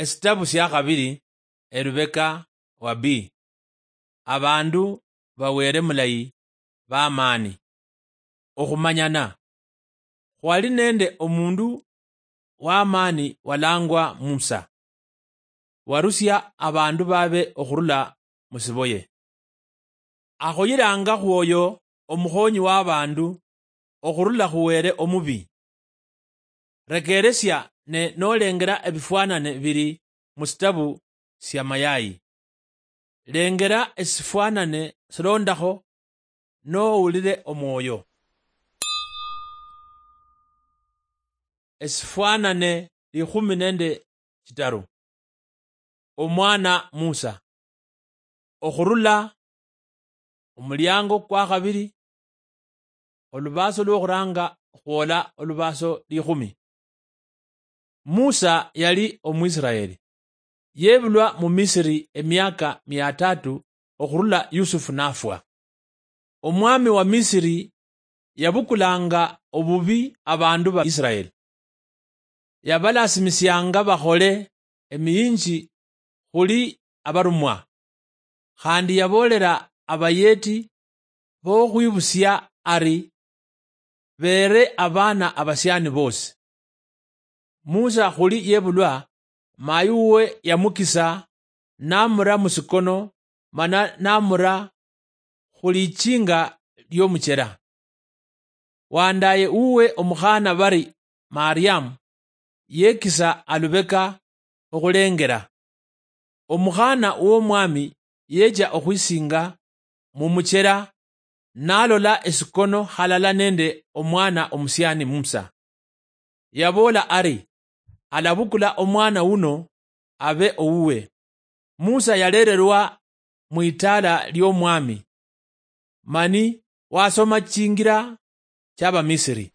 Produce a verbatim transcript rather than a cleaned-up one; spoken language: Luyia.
Esitabu sia khabiri, elubeka wa B. Abandu ba Wele mulayi bamaani. Okhumanyana. Khwali nende omundu wamaani walangwa Musa. Warusia abandu babe okhurula musiboye. Akhoyilanga khwoyo omukhonyi w'abandu okhurula khu Wele omubi. Rekeresia ne nolengera ebifwanane biri musitabu sia Mayayi. Lengera esifwanane silondakho nowulire omwoyo. Esifwanane likhumi nende chitaru. Omwana Musa. Okhurula omuliango kwa khabiri, olubaaso lwokhuranga khwola olubaaso likhumi. Musa yali Omwisiraeli. Yebulwa mu Misiri emiaka mia tatu okhurula Yusufu nafwa. Omwami wa Misiri yabukulanga obubi abandu ba Isiraeli. Yabalasimisianga bakhole emiyinji khuli abarumwa. Khandi yaboolera abayeti bokhwibusia ari, beere abaana abasiani bosi. Musa khuli yebulwa, mayi wuwe yamukisa, namura musikono, mana namura khulichinga liomuchera. Wandaye wuwe omukhana bari Mariamu yekisa alubeka okhulengera. Omukhana womwami yecha okhwisinga mumuchera, nalola esikono halala nende omwana omusiani Musa. Yaboola ari, alabukula omwana wuno abe owuwe. Musa yalererwa mwitaala liomwami, mani wasoma chingira chiabamisiri.